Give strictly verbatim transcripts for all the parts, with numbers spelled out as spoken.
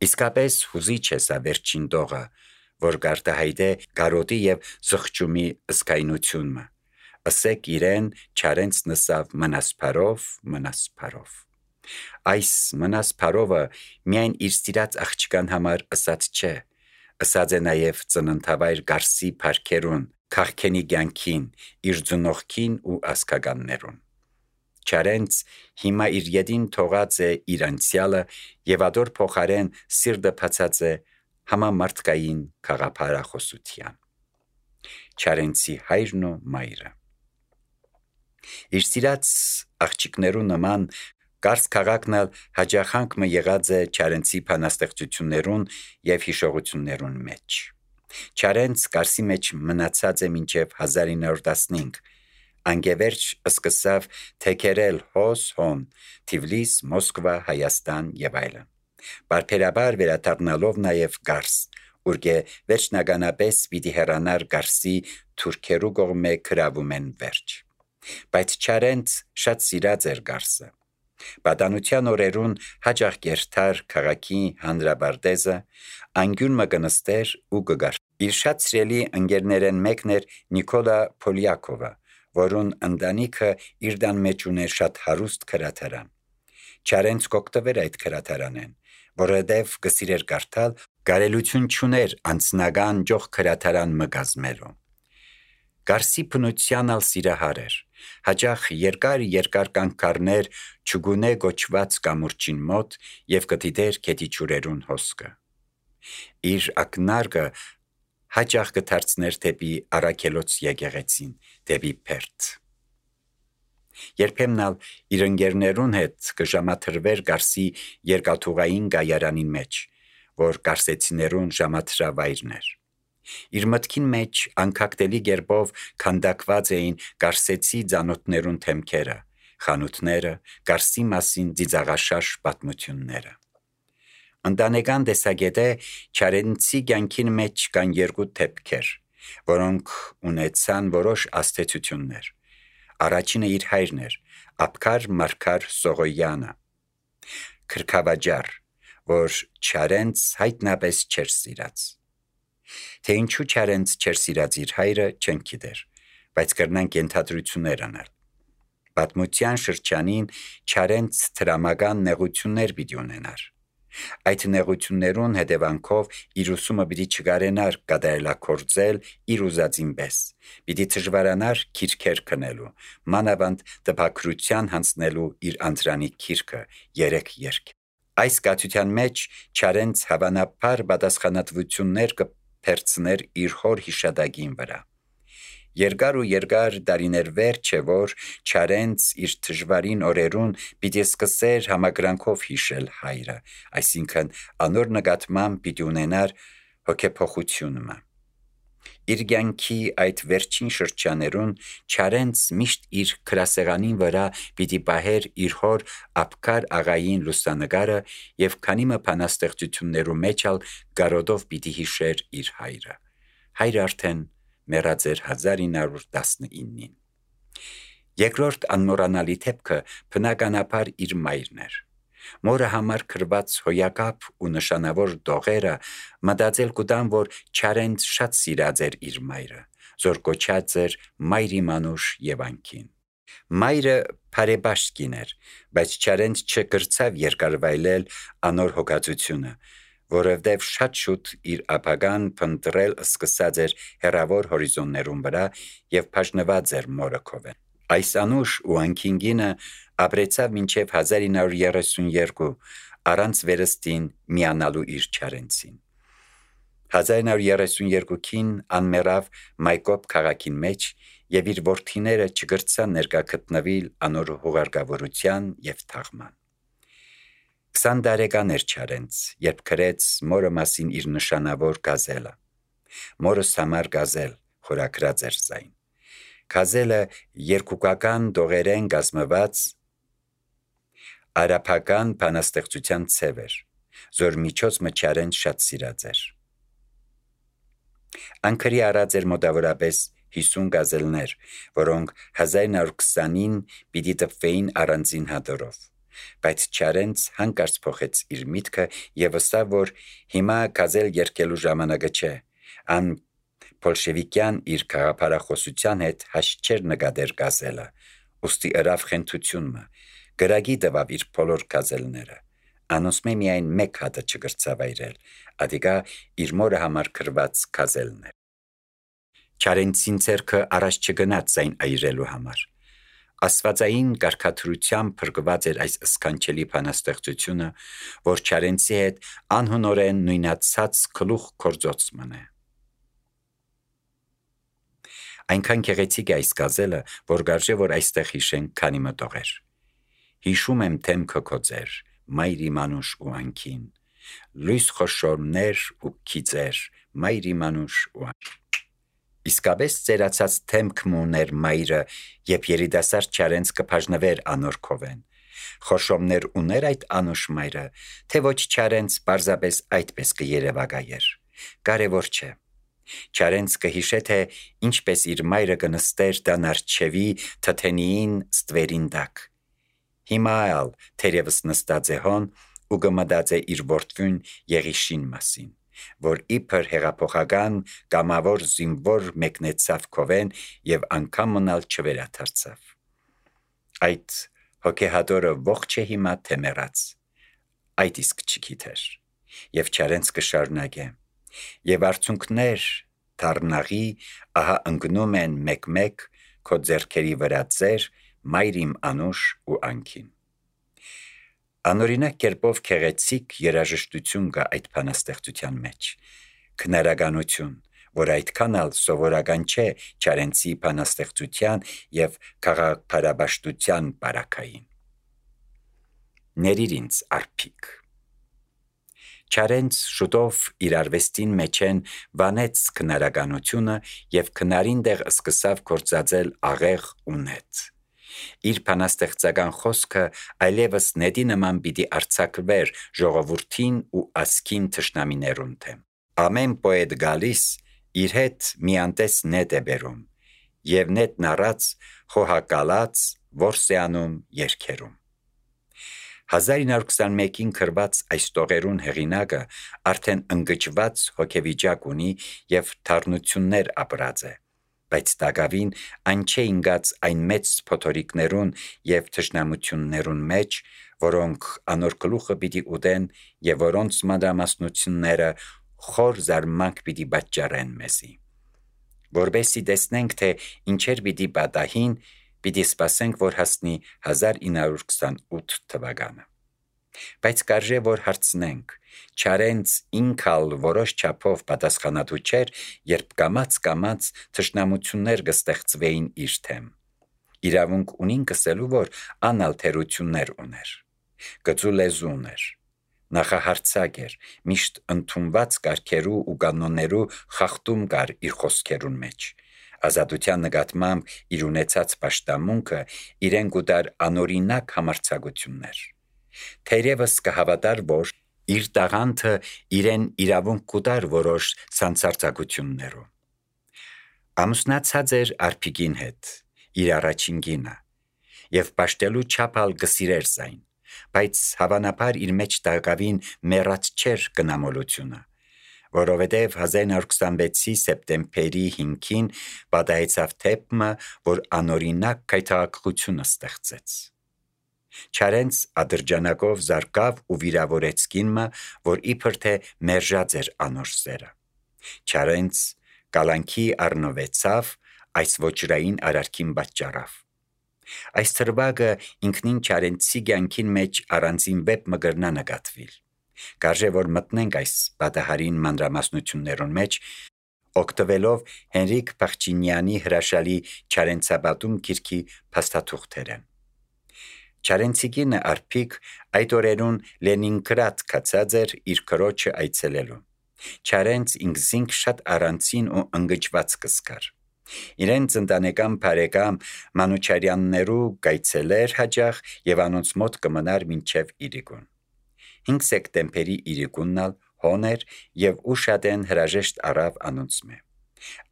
Իսկապես հուզիչ է սա վերջին դողը, որ գարտահայտե գարոտի և զղջումի ըսկայնությունը։ Ըսեք իրեն չարենց նսավ մնասպարով, մնասպարով։ Այս մնասպարովը միայն իր սիրած աղջկան համար ըսած չէ, ըսած է նաև ծննդավայր Գարսի փառքերուն, քաղքենի կյանքին, իր ծնողքին ու ազգականներուն։ Չարենց հիմա իր ետին թողած է իր անցյալը և ադոր փոխարեն սիրտը բացած է համամարտկային խաղափարախոսության։ Չարենցի հայրն ու մայրը իր սիրած աղջիկներու նման Կարս քաղաքն էլ հաջախանք մը եղած է Չարենցի բանաստեղծություններուն և հիշողություններուն մեջ։ Չարենց Կարսի մեջ մնացած է մինչև հազար ինը հարյուր տասնհինգ, անգևերջ սկսավ թեքերել հոս հոն, Թիֆլիս, Մոսկվա, Հայաստան և այլն, բարբերաբար վերադառնալով նաև Կարս, ուր վերջնականապես պիտի հեռանար Կարսի թուրքերու կողմէ գրավում են վերջ։ Բայց Չարենց շատ սիրած էր Կարսը։ Պատանության օրերուն հաճախ կերթար քաղաքի հանրապարտեզը, անկյուն մը կնստեր ու կգար։ Իր շատ սիրելի ընկերներեն մեկն էր Նիկոլա Պոլյակովը, որուն ընտանիքը իր տան մեջ ուներ շատ հարուստ գրադարան։ Չարենց կօգտվեր այդ գրադարանեն, որովհետև կսիրեր կարդալ, կարելություն չուներ անձնական ճոխ գրադարան մը կազմելու։ Կարսի բնության ալ սիրահար էր, հաճախ երկար-երկար կանգ կառներ Չուգունե գոչված կամուրջին մոտ և կդիտեր գետի ջուրերուն հոսքը։ Իր ակնարկը հաճախ կդարձներ դեպի Առաքելոց եկեղեցին, դեպի Բերդ։ Երբեմն ալ իր ընկերներուն հետ կժամաթրվեր Կարսի երկաթուղային կայարանին մեջ, որ կարսեցիներուն ժամաթրավայրն էր։ Իր մտքին մեջ անքակտելի կերպով քանդակված էին կարսեցի ծանոթներուն դեմքերը, խանութները, Կարսի մասին ծիծաղաշաշ պատմությունները։ Ընտանեկան տեսակետե Չարենցի կյանքին մեջ կան երկու դեպքեր, որոնք ունեցան որոշ ազդեցություններ։ Առաջինը իր հայրն էր, Աբգար Մարգար Սողոյանը, քրքավաճառ, որ Չարենց հայտնապես չէր սիրած։ Թե ինչու Չարենց չէր սիրած իր հայրը, չենք գիտեր, բայց կրնանք ենթադրություններ անել։ Պատմության շրջանին Չարենց դրամական նեղություններ պիտի ունենար։ Այդ նեղություններուն հետևանքով իր ուսումը պիտի չկարենար կատարելագործել իր ուզածին պես, պիտի դժվարանար գիրքեր քննելու, մանավանդ տպագրության հանձնելու իր անդրանիկ գիրքը՝ երեք երգ։ Այս կաթության մեջ Չարենց հավանաբար պատասխանատվություններ կփերծներ իր հոր հիշատակին վրա։ Երկար ու երկար տարիներ վերջ է, որ Չարենց իր դժվարին օրերուն պիտի սկսեր համակրանքով հիշել հայրը, այսինքն անոր նկատմամբ պիտի ունենար հոգեփոխությունը։ Իր կյանքի այդ վերջին շրջաներուն Չարենց միշտ իր գրասեղանին վրա պիտի պահեր իր հոր Աբգար աղային լուսանկարը և քանի մը բանաստեղծություններու մեջ ալ կարոտով պիտի հիշեր իր հայրը։ Հայրը արդեն մեռած էր հազար ինը հարյուր տասնինին։ Երկրորդ անմոռանալի դեպքը բնականաբար իր մայրն էր։ Մորը համար գրված հոյակապ ու նշանավոր տողերը մտածել կուտան, որ Չարենց շատ սիրած էր իր մայրը, զոր կոչած էր Մայրի մանուշ Եվանքին։ Մայրը բարեպաշտ կին էր, բայց Չարենց չկրցավ երկարվայլել անոր հոգածությունը, որովհետև շատ շուտ իր ապագան փնտրել սկսած էր հեռավոր հորիզոններուն վրա և բաժնված էր մորը կողմէ։ Այս անուշ ու անկինգինը ապրեցավ մինչև հազար ինը հարյուր երեսունյերկու, առանց վերստին միանալու իր Չարենցին։ հազար ինը հարյուր երեսունյերկուին անմեռավ Մայկոբ քաղաքին մեջ և իր որդիները չկրցան ներկա գտնվել անոր հուղարկավորության և թաղման։ Քսան տարեկան էր Չարենց, երբ գրեց մորը մասին իր նշանավոր գազելը։ Մորս համար գազել խորագրած էր զայն։ Գազելը երկուկական տողերեն կազմված արաբական բանաստեղծության ցև էր, զոր միջոցը Չարենց շատ սիրած էր։ Անկրի արած էր մոտավորապես հիսուն գազելներ, որոնք հազար ինը հարյուր քսանին պիտի տպվեին առանձին հատորով։ Բայց Չարենց հանկարծ փոխեց իր միտքը եւ ասավ, որ հիմա գազել երկելու ժամանակը չէ, ան բոլշևիկյան իր քաղաքապարախոսության հետ հաշտ չէր նկատեր գազելը, ուստի ըրավ խենթությունը, գրագի տվավ իր բոլոր գազելները, անոնցմե միայն մեկ հատը չգրծավայրել, ադիգա իր մորը համար գրված գազելն էր։ Չարենցին ձեռքը առաջ չգնաց այն այրելու համար։ Աստվածային կարգադրությամբ փրկված էր այս սքանչելի բանաստեղծությունը, որ Չարենցի հետ անհնորեն նույնացած գլուխ կորձոց մնե։ Այնքան գեղեցիկ է այս գազելը, որ գարժե որ այստեղ հիշենք քանի մտողեր։ Հիշում եմ թեմքը քո ձեր, մայրի մանուշ ու անքին, լույս խոշորներ ու քիծեր, մայրի մանուշ ու անքին։ Իսկապես ծերացած թեմքն ուներ մայրը, երբ երիտասարդ Չարենց կբաժնվեր անոր քովեն։ Խոշոմներ ուներ այդ անուշ մայրը, թե ոչ Չարենց պարզապես այդպես կերևակայեր։ Կարևոր չէ։ Չարենց կհիշե, թե ինչպես իր մայրը կնստեր դան արջևի թթենիին ստվերին տակ։ Հիմա ալ թերևս նստած է հոն ու կմտածե իր որդուն Եղիշին մասին, որ իբր հեղափոխական կամավոր զինվոր մեկնեցավ քովեն եւ անգամ մնալ չվերադարձավ։ Այդ հոգեհատորը ողջ է հիմա թե մեռած, այդ իսկ չգիտեր, եւ Չարենց կշարունակե, եւ արցունքներ դառնաղի ահա ընկնում են մեկ-մեկ քո ձեռքերի վրա ձեր, մայրիմ անուշ ու անքին։ Անօրինակ կերպով քեղեցիկ երաժշտություն կա այդ բանաստեղծության մեջ, քնարականություն, որ այդքան ալ սովորական չէ Չարենցի բանաստեղծության եւ քաղաքապարաբաշխության բարակային։ Ներիր ինձ արփիկ։ Չարենց շուտով իր արվեստին մեջեն վանեց քնարականությունը եւ քնարին դեղ սկսավ գործածել աղեղ ու նետ։ Իր բանաստեղծական խոսքը այլևս նետի նման պիտի արձակվեր ժողովրդին ու ասքին թշնամիներուն դեմ։ Ամեն պոետ գալիս իր հետ միանտես նետ է բերում եւ նետն առած խոհակալած որսեանում երկերում։ հազար ինը հարյուր քսանմեկին գրված այս տողերուն հեղինակը արդեն ընկճված հոգեվիճակ ունի եւ թարնություններ ապրած է, բայց տակավին այն չէ ինգած այն մեծ փոթորիկներուն եւ թշնամություններուն մեջ, որոնք անոր գլուխը պիտի ուտեն եւ որոնց մանրամասնությունները խոր զարմանք պիտի պատճառեն մեզի։ Որբեսի տեսնենք, թե ինչեր պիտի պատահին, պիտի սպասենք, որ հասնի հազար ինը հարյուր քսանութ թվականը։ Բայց կարժե որ հարցնենք, Չարենց ինքալ որոշ չափով պատասխանատու չէր, երբ կամաց-կամաց թշնամություններ կստեղծվեին իր թեմ։ Իրավունք ունին կսելու, որ անալ թերություններ ուներ, գծու լեզու ուներ, նախահարցակ էր, միշտ ընդունված կարգերու ու կանոններու խախտում կար իր խոսքերուն մեջ։ Ազատության նկատմամբ իր ունեցած պաշտամունքը իրեն կուտար անօրինակ համարձակություններ։ Թերևս կհավատար, որ իր տաղանդը իրեն իրավունք կուտար որոշ սանցարձակություններով։ Ամուսնացած էր արփիկին հետ, իր առաջին կինը, եւ պաշտելու չափալ գսիրեր զայն, բայց հավանաբար իր մեջ տակավին մեռած չէր կնամոլությունը, որովհետև հազար ինը հարյուր քսանվեցի սեպտեմբերի հինգին պատահեցավ թեփը, որ անօրինակ քայթակղությունը ստեղծեց։ Չարենց ադրջանակով զարկավ ու վիրավորեց կինը, որ իբր թե մերժած էր անոր սերը։ Չարենց կալանքի առնվեցավ այս ոչրային արարքին պատճառավ։ Այս թրվագը ինքնին Չարենցի կյանքին մեջ առանձին վեպ մգրնա նկատվիլ։ Կարժե որ մտնենք այս պատահարին մանրամասնություններուն մեջ, օգտվելով Հենրիկ Փախչինյանի հրաշալի Չարենցապատում գիրքի փաստաթուղթերը։ Չարենցի կինը արփիկ այդ օրերուն Լենինգրադ կացած էր իր քրոջը այցելելու։ Չարենց ինքզինք շատ առանցին ու ընկճված կսկար։ Իրենց ընտանեկան բարեկամ Մանուչարյաններու գայցելեր հաջող եւ անոնց մոտ կմնար մինչեւ իրիկուն։ հինգ սեպտեմբերի իրիկուննալ հոներ եւ ուշադեն հրաժեշտ առավ անոնց մե։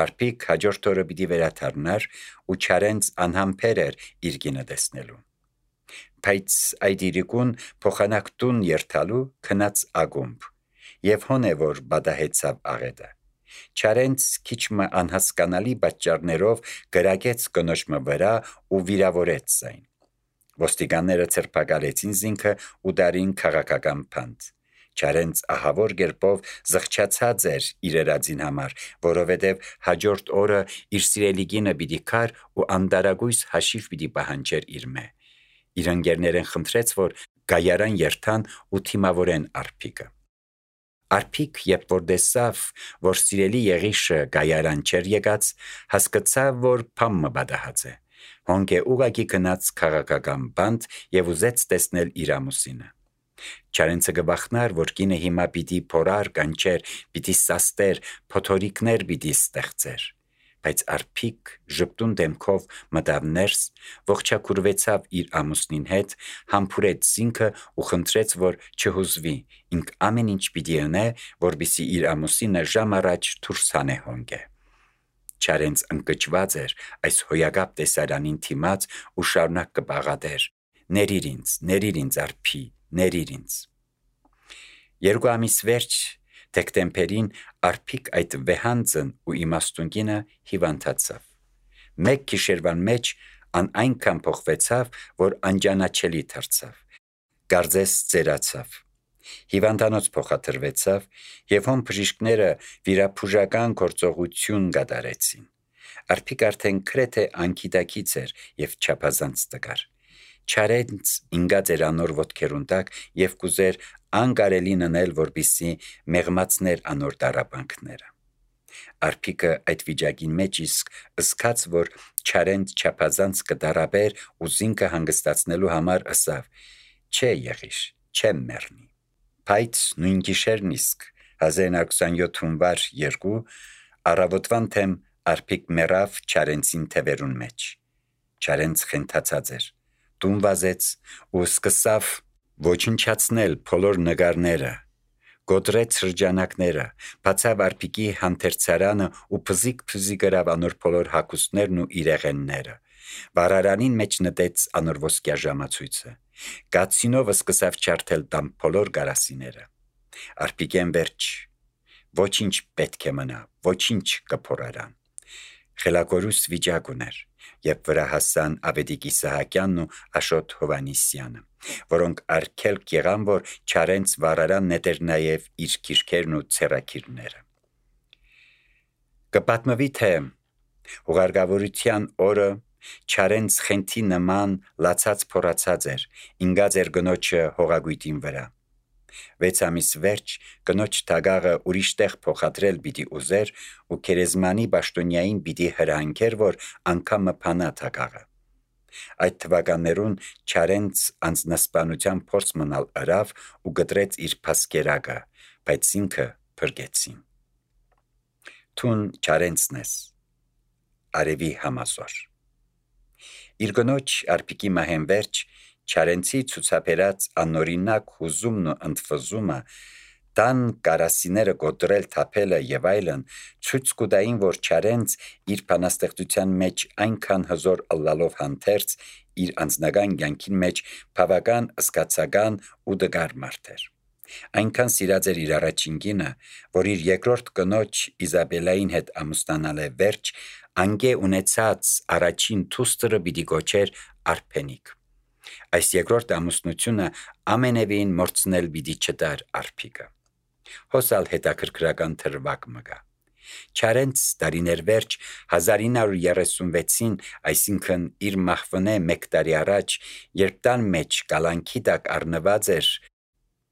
Արփիկ հաջորդ օրը պիտի վերադառնար ու Չարենց անհամբեր էր իր կինը տեսնելու։ Բայց այդ իրիկուն փոխանակ տուն երթալու քնած ագումբ, եւ հոն է որ բադահեցավ աղետը։ Չարենց քիչմը անհասկանալի պատճառներով գրագեց կնոջմը վրա ու վիրավորեց զայն։ Ոստիկանները ցրփակալեցին զինքը ու դարին քաղաքական փանդ։ Չարենց ահավոր գերպով զղջացած էր իր երազին համար, որովհետև հաջորդ օրը իր սիրելի կինը պիտի քար ու անդարագույս հաշիվ պիտի պահանջեր իր մե։ Իր ընկերներեն խնդրեց, որ գայարան երթան ու թիմավորեն Արփիկը։ Արփիկ, երբ որ տեսավ, որ սիրելի եղիշը գայարան չեր եկած, հասկացավ, որ փամը բադահած է։ Հոնք է ուղակի գնաց քաղաքական բանդ եւ ուզեց տեսնել իր ամուսինը։ Չարենցը գբախնար, որ կինը հիմա պիտի փորար կանչեր, պիտի սաստեր, փոթորիկներ պիտի ստեղծեր։ Բայց Արփիկ ժպտուն դեմքով մտավ ներս, ողջակուրվեցավ իր ամուսնին հետ, համբուրեց զինքը ու խնդրեց, որ չհուզվի, ինք ամեն ինչ պիտի անե, որպեսզի իր ամուսինը ժամ առաջ դուրս հանե հոնգե։ Չարենց ընկճված էր այս հոյակապ տեսարանին թիմած ու շարունակ կբաղադեր. «Ներիր ինձ, ներիր ինձ Արփի, ներիր ինձ»։ Երկու ամիս վերջ դեկտեմբերին Արփիկ այդ վեհանձն ու իմաստուն կինը հիվանդացավ։ Մեկ գիշերվան մեջ ան այնքան փոխվեցավ, որ անճանաչելի դարձավ։ Գարձես ծերացավ։ Հիվանդանոց փոխադրվեցավ եւ հոն բժիշկները վիրապուժական գործողություն կատարեցին։ Արփիկ արդեն քրեթե անկիտակից էր եւ չափազանց տկար։ Չարենց ինգած էր անոր ոտքերուն տակ եւ կուզեր անկարելին անել, որպեսզի մեղմացներ անոր դարաբանքները։ Արփիկը այդ վիճակին մեջ իսկ ըսկաց, որ Չարենց չափազանց կդարաբեր ու զինքը հանգստացնելու համար ըսավ. «Չէ եղիշ, չեմ մեռնի»։ Բայց նույն գիշերն իսկ հազար իննսուն ութ հունվար երկու առավոտվան թեմ Արփիկ մեռավ Չարենցին թևերուն մեջ։ Չարենց խենթացած էր, տուն վազեց ու սկսավ ոչնչացնել բոլոր նկարները, գոտրեց շրջանակները, բացավ Արփիկի հանթերցարանը ու փզիկ-փզիկ գրավ անոր բոլոր հագուստներն ու իրեղենները։ Վարարանին մեջ նետեց անոր ոսկյա ժամացույցը։ Կացինով սկսավ չարթել տան բոլոր գարասիները։ Արփիկեն վերջ ոչինչ պետք է մնա, ոչինչ կփորարան։ Խելակորուս վիճակ ուներ, երբ վրա հասան Ավետիք Իսահակյանն ու Աշոտ Հովանիսյանը, որոնք արգելք եղան, որ Չարենց վարարան նետեր նաև իր քիրքերն ու ցերակիրները։ Կպատմվի, թե հուղարկավորության օրը Չարենց խենթի նման լացած փորացած էր, ինգած էր գնոջը հողագույտին վրա։ Վեց ամիս վերջ կնոջ թագաղը ուրիշ տեղ փոխադրել պիտի ուզեր ու քերեզմանի պաշտոնյային պիտի հրահանգեր, որ անգամը փանա թագաղը։ Այդ թվականներուն Չարենց անձնասպանության փորձ մնալ արավ ու գտրեց իր փասկերակը, բայց ինքը փրկեցին։ Թուն Չարենցն ես, արևի համասոր։ Իր գնոջ Արփիկի մահեն վերջ Չարենցի ցուցաբերած անօրինակ հուզումն ու ընդվզումը, տան կարասիները գոտրել թափելը եւ այլն ցույց կտային, որ Չարենց իր բանաստեղծության մեջ այնքան հզոր ըլլալով հանդերձ իր անձնական կյանքին մեջ բավական սկացական ու դգար մարդ էր։ Այնքան սիրած էր իր առաջին կինը, որ իր երկրորդ կնոջ Իզաբելային հետ ամուսնանալ է վերջ, անգե ունեցած առաջին թուստը պիտի գոչեր Արփենիկ։ Այս երկրորդ ամուսնությունը ամենևին մորցնել պիտի չտար Արփիկը։ Հոսալ հետաքրքրական թրվակ մգա։ Չարենց տարիներ վերջ հազար ինը հարյուր երեսունվեցին, այսինքն իր մահվնե մեկ տարի առաջ, երբ տան մեջ կալանքի տակ առնված էր,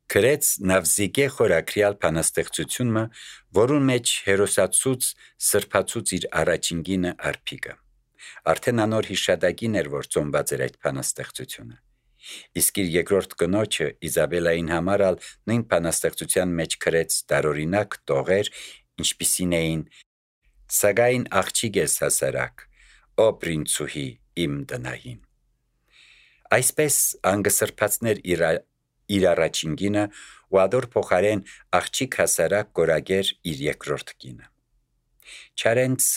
գրեց Նավզիգե խորակրյալ բանաստեղծությունը, որուն մեջ հերոսացուց սրբացուց իր առաջին կինը Արփիկը։ Արդեն անոր հիշատակին էր, որ ծնված էր այդ բանաստեղծությունը։ Իսկ իր երկրորդ կնոջը Իզաբելային համարալ նույն բանաստեղծության մեջ գրեց տարօրինակ տողեր, ինչպիսին էին. «Սակայն աղջիկ ես հասարակ, ո պրինցուհի իմ տնային»։ Այսպես անգսրբացներ իր, իր առաջին կինը ու ադոր փոխարեն աղջիկ հասարակ կորագեր իր երկրորդ կինը։ Չարենց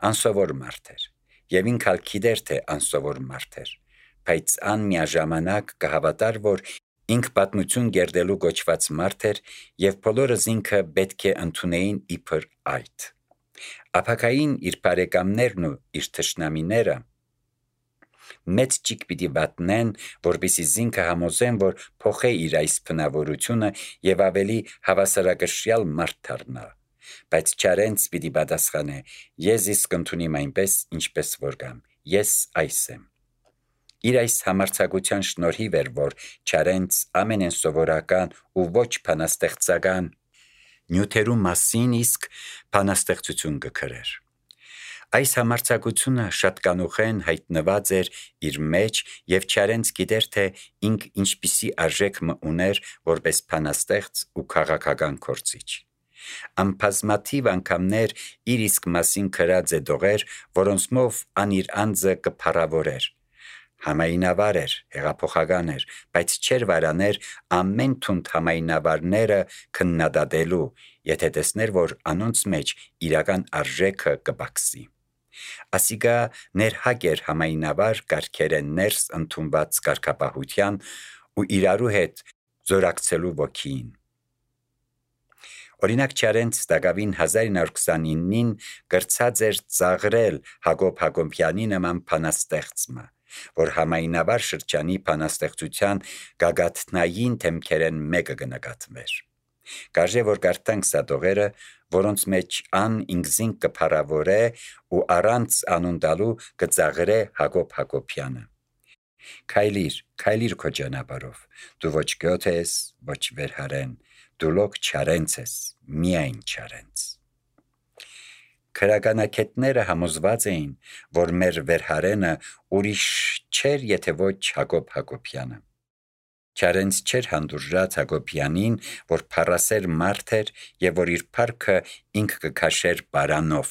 անսովոր մարդ էր, եւ ինքալ գիտեր, թե անսովոր մարդ էր, բայց ան միաժամանակ կհավատար, որ ինք պատմություն գերդելու գոչված մարդ էր եւ բոլորս ինքը պետք է ընդունեին իբր այդ։ Ապակային իր բարեկամներն ու իր թշնամիները մեծ ճիգ պիտի վատնեն, որպեսզի զինքը համոզեն, որ փոխե իր այս բնավորությունը եւ ավելի հավասարակշռյալ մարդ դառնա, բայց չարենց պիտի պատասխանե. ես իսկ ընդունիմ այնպես, ինչպես որ կամ, ես այս եմ։ Իր այս համարձակության շնորհիվ էր, որ չարենց ամենեն սովորական ու ոչ բանաստեղծական նյութերու մասին իսկ բանաստեղծություն կգրեր։ Այս համարձակությունը շատ կանուխեն հայտնված էր իր մեջ եւ չարենց գիտեր, թե ինք ինչպիսի արժեք մը ուներ որպես բանաստեղծ ու քաղաքական կորցիչ։ Ամբազմաթիվ անգամներ իր իսկ մասին գրած է դողեր, որոնցմով ան իր անձը կփառավորեր։ Համայնավար էր, հեղափոխական էր, բայց չեր վարաներ ամեն թունդ համայնավարները քննադատելու, եթե տեսներ, որ անոնց մեջ իրական արժեքը կբացի։ Ասիկա ներհակ էր համայնավար կարգերեն ներս ընդունված կարգապահության ու իրարու հետ զորակցելու ոգին։ Օրինակ չարենց Դագավին հազար ինը հարյուր քսանինին գրծած էր ծաղրել Հակոբ Հակոբյանի նման բանաստեղծը, որ համայնավար շրջանի բանաստեղծության գագաթնային թեմքերեն մեկը կնկատվեր։ Կարժե որ կարդանք սա դողերը, որոնց մեջ ան ինքզին կփառավորե ու առանց անուն տալու կծաղրե Հակոբ Հակոբյանը։ Քայլիր, քայլիր քո ճանապարհով, դու ոչ գոթ ես, ոչ վերհարեն, դու լոկ չարենց ես, միայն չարենց։ Քրականակետները համոզված էին, որ մեր վերհարենը ուրիշ չէր, եթե ոչ Հակոբ Հակոբյանը։ Չարենց չէր հանդուրժած Հակոբյանին, որ փառասեր մարդ էր եւ որ իր փառքը ինք կքաշեր բարանով։